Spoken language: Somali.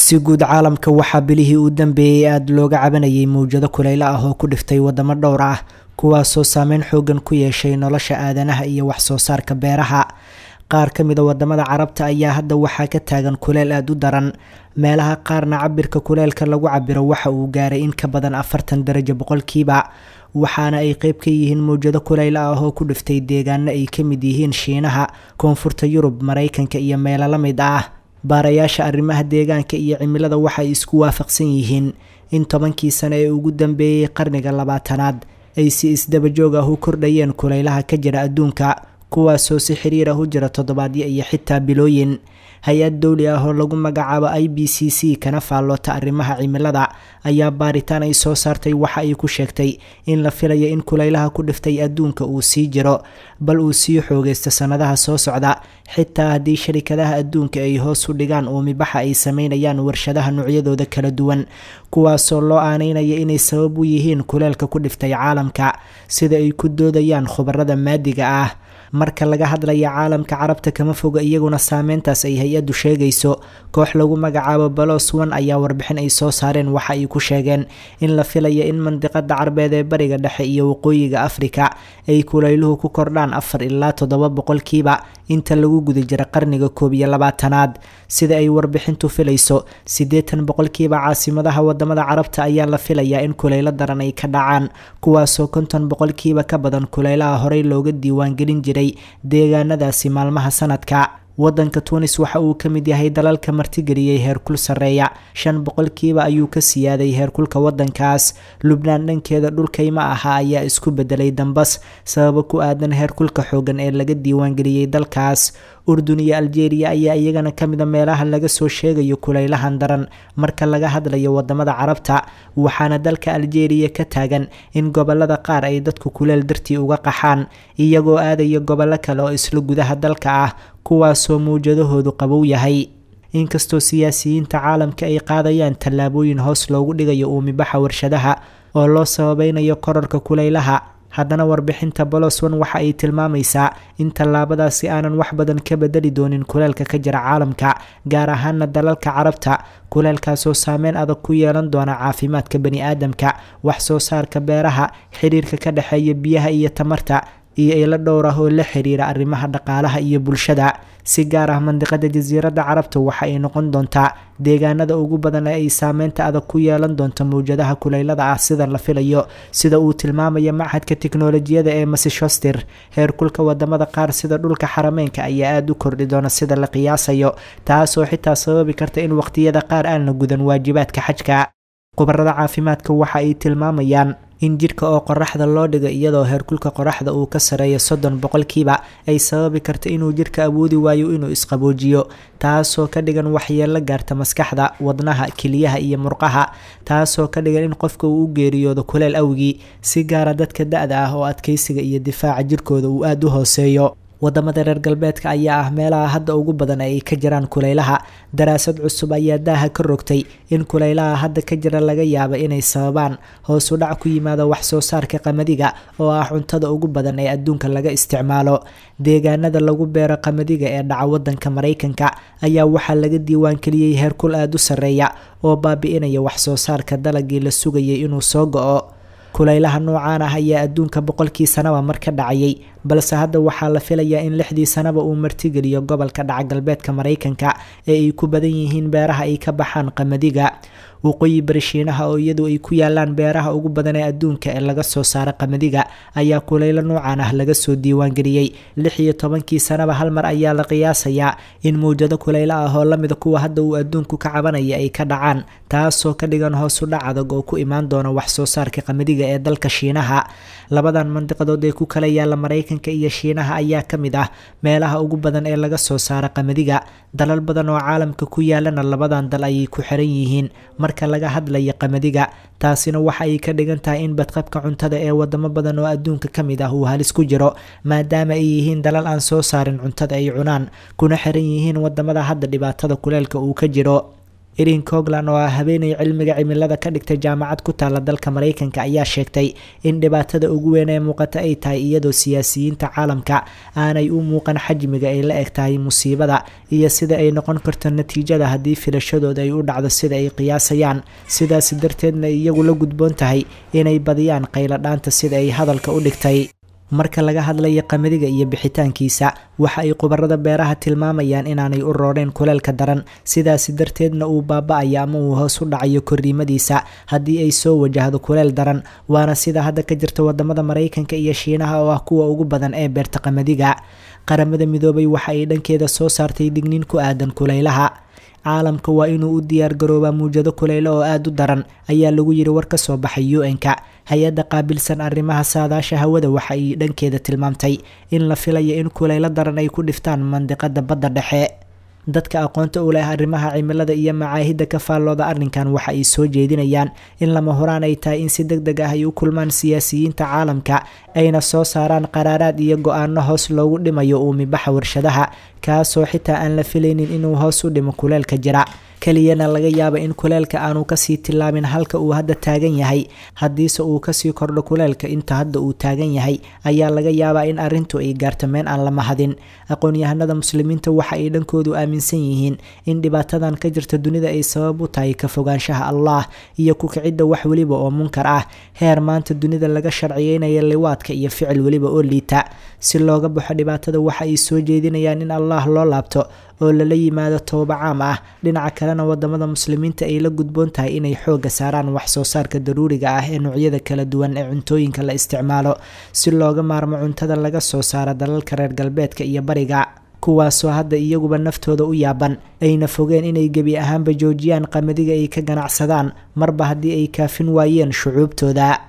Si guud caalamka waxaa bilihii u dambeeyey aada looga cabanayay mawjado kulaylo ah oo ku dhiftay wadamo dhowr ah, kuwaasoo saameyn xoogan ku yeeshay nolosha aadanaha iyo wax soo saarka beeraha. Qaar ka mid a wadamada Carabta ayaa hadda waxaa ka taagan kuleyl aada u daran, meelaha qaarna cabirka kuleylka lagu cabiro waxa uu gaaray in ka badan 40 darajo boqolkiiba, waxaana ay qeyb ka yihiin mawjado kuleylo ah oo ku dhiftay deegaano ay ka mid yihiin Shiinaha, Koonfurta Yurub, Mareykanka iyo meelo la mid ah. Baarayaasha arrimaha deegaanka iyo cimilada waxay isku waafaqsan yihiin in 10kii sano ee ugu dambeeyey qarniga 20aad ay si isdabajoog ah u kordhayeen kuleylaha ka jira adduunka, kuwaasoo si xiriir ah u jira toddobaadyo iyo xitaa bilooyin. Hay-ad dowli ah oo lagu magacaabo IBCC kana faalloota arrimaha cimilada ayaa baaritaan ay soo saartay waxa ay ku sheegtay in la filayo in kuleylaha ku dhiftay adduunka uu sii jiro, bal uu sii xoogaysto sannadaha soo socda, xitaa haddii sharikadaha adduunka ay hoos u dhigaan uumibaxa ay sameynayaan warshadaha noocyadooda kala duwan, kuwaasoo loo aaneynaya inay sabab u yihiin kuleylka ku dhiftay caalamka, sida ay ku doodayaan khubarada maadiga ah. Marka laga hadlaya caalamka Carabta, kama foga iyaguna saameyntaas ay hay-addu sheegayso. Koox lagu magacaabo Balos One ayaa warbixin ay soo saareen waxa ay ku sheegeen in la filayo in mandiqada Carbeed ee Bariga Dhexe iyo Waqooyiga Afrika ay kulayluhu ku kordhaan 4 ilaa 7 boqolkiiba inta lagu guda jira qarniga 21aad. Sida ay warbixintu filayso, 80% caasimadaha wadamada Carabta ayaa la filayaa in kuleylo daran ay ka dhacaan, kuwaasoo 50% ka badan kuleylaha horey looga diiwaangelin jiray deegaanadaasi maalmaha sanadka. Wadanka Tunis waxa uu ka mid yahay dalalka martigeliyey heerkul sarreeya, 5% ayuu ka siyaaday heerkulka wadankaas. Lubnaan dhankeeda dhulkayma aha ayaa isku bedelay dambas sababo ku aadan heerkulka xoogan ee laga diiwaangeliyey dalkaas. Urdun iyo Aljeeriya ayaa iyagana ka mida meelaha laga soo sheegayo kulaylahan daran marka laga hadlayo wadamada Carabta, waxaana dalka Aljeeriya ka taagan in gobolada qaar ay dadku kuleel dartii uga qaxaan, iyagoo aadaya gobollo kale oo isla gudaha dalka ah, kuwaasoo mawjadahoodu qabow yahay. Inkastoo siyaasiyiinta caalamka ay qaadayaan tallaabooyin hoos loogu dhigayo uumibaxa warshadaha oo loo sababeynayo korarka kulaylaha, haddana warbixinta Boloswan waxa ay tilmaamaysaa in tallaabadaasi aanan wax badan ka bedeli doonin kuleelka ka jira caalamka, gaar ahaana dalalka Carabta, kuleelkaasoo saameyn adag ku yeelan doona caafimaadka bani-aadamka, wax soo saarka beeraha, xiriirka ka dhexeeya biyaha iyo tamarta, iyo ilo dhowr ah oo la xiriira arrimaha dhaqaalaha iyo bulshada. Si gaar ah mandiqada Jasiiradda Carabta waxa ay noqon doontaa deegaanada ugu badan ee ay saameynta adag ku yeelan doonto mawjadaha kuleylada ah sida la filayo, sida uu tilmaamaya Machadka Tiknolojiyada ee Massachusetts. Heerkulka wadamada qaar sida dhulka Xarameynka ayaa aada u kordhi doona sida la qiyaasayo, taasoo xitaa sababi karta in waqtiyada qaar aan la gudan waajibaadka xajka. Khubarada caafimaadka waxa ay tilmaamayaan in jidhka oo qoraxda loo dhigo iyadoo heerkulka qoraxda uu ka sareeyo 30% ay sababi karta inuu jidhka awoodi waayo inuu isqaboojiyo, taasoo ka dhigan waxyeello gaarta maskaxda, wadnaha, keliyaha iyo murqaha, taasoo ka dhigan in qofka uu u geeriyoodo kuleel awgii, si gaara dadka da-da ah oo adkeysiga iyo difaaca jirkooda uu aada u hooseeyo. Wadamada reer galbeedka ayaa ah meelaha hadda ugu badan ee ay ka jiraan kulaylaha. Daraasad cusub ayaa daaha ka rogtay in kulaylaha hadda ka jira laga yaabo inay sababaan hoos u dhac ku yimaada wax soo saarka qamadiga oo ah cuntada ugu badan ee adduunka laga isticmaalo. Deegaanada lagu beero qamadiga ee dhaca wadanka Mareykanka ayaa waxaa laga diiwaangeliyey heerkul aada u sarreeya oo baabi'inaya wax soo saarka dalagii la sugayay inuu soo go-o. Kulaylaha noocaan ah ayaa adduunka 100kii sanaba mar ka dhacayay, balse hadda waxaa la filayaa in 6dii sanaba uu martigeliyo gobolka dhaca galbeedka Mareykanka ee ay ku badan yihiin beeraha ay ka baxaan qamadiga. Waqooyi bari Shiinaha oo iyadu ay ku yaalaan beeraha ugu badan ee adduunka ee laga soo saaro qamadiga ayaa kulaylo noocaan ah laga soo diiwaangeliyey. 16kii sanaba hal mar ayaa la qiyaasayaa in mawjado kulaylo ah oo lamida kuwa hadda uu adduunku ka cabanaya ay ka dhacaan, taasoo ka dhigan hoos u dhac adag oo ku imaan doona wax soo saarka qamadiga ee dalka Shiinaha. Labadan mandiqadood ee ku kala yaala Mareykanka iyo Shiinaha ayaa ka mid ah meelaha ugu badan ee laga soo saaro qamadiga. Dalal badan oo caalamka ku yaalana labadan dal ayay ku xiran yihiin marka laga hadlayo qamadiga, taasina waxa ay ka dhigan tahay in badqabka cuntada ee wadamo badan oo adduunka ka mid ah uu halis ku jiro, maadaama ay yihiin dalal aan soo saarin cuntada ay cunaan, kuna xiran yihiin wadamada hadda dhibaatada kuleelka uu ka jiro. Erin Coglan oo ah haweeney cilmiga cimilada ka dhigtay jaamacad ku taala dalka Maraykanka ayaa sheegtay in dhibaatada ugu weyn ee muuqata ay tahay iyadoo siyaasiyiinta caalamka aanay u muuqan xajmiga ay la eg tahay musiibada iyo sida ay noqon karto natiijada haddii filashadooda ay u dhacdo sida ay qiyaasayaan, sidaas darteedna iyagu la gudboon tahay inay badiyaan qayladhaanta sida ay hadalka u dhigtay. Marka laga hadlayo qamadiga iyo bixitaankiisa, waxa ay khubarada beeraha tilmaamayaan inaanay u rooreen kuleelka daran, sidaasi darteedna uu baaba-ayo ama uu hoos u dhacayo korriimadiisa haddii ay soo wajahdo kuleel daran, waana sida hadda ka jirta wadamada Maraykanka iyo Shiinaha oo ah kuwa ugu badan ee beerta qamadiga. Qaramada Midoobay waxa ay dhankeeda soo saartay digniin ku aadan kulaylaha. Caalamka waa inuu u diyaargaroobaa muwjado kuleylo oo aada u daran, ayaa lagu yiri war ka soo baxay UN-ka. Hay-adda qaabilsan arrimaha saadaasha hawada waxa ay dhankeeda tilmaamtay in la filayo in kuleylo daran ay ku dhiftaan mandiqada badda dhexe. Dadka aqoonta u leh arrimaha cimilada iyo macaahidda ka faallooda arrinkan waxa ay soo jeedinayaan in lama huraan ay tahay in si deg deg ah ay u kulmaan siyaasiyiinta caalamka, ayna soo saaraan qaraaraad iyo go-aano hoos loogu dhimayo uumibaxa warshadaha, kaasoo xitaa aan la filaynin inuu hoos u dhimo kuleelka jira. Keliyana laga yaaba in kuleelka aanu kasii tillaabin halka uu hadda taagan yahay. Haddiise uu kasii kordho kuleelka inta hadda uu taagan yahay, ayaa laga yaabaa in arrintu ay gaarto meel aan la mahadin. Aqoon-yahanada muslimiinta waxa ay dhankoodu aaminsan yihiin in dhibaatadan ka jirta dunida ay sabab u tahay ka fogaanshaha Allah iyo ku kicidda wax weliba oo munkar ah, heer maanta dunida laga sharciyeynaya liwaadka iyo ficil weliba oo liita. Si looga baxo dhibaatada, waxa ay soo jeedinayaan in Allah loo laabto oo lala yimaado tooba caam ah. Dhinaca kalena, wadamada muslimiinta ay la gudboon tahay inay xooga saaraan wax soo saarka daruuriga ah ee noocyada kala duwan ee cuntooyinka la isticmaalo, si looga maarmo cuntada laga soo saaro dalalka reer galbeedka iyo bariga, kuwaasoo hadda iyaguba naftooda u yaaban ayna fogeen inay gebi ahaanba joojiyaan qamadiga ay ka ganacsadaan marba haddii ay kaafin waayeen shucuubtooda.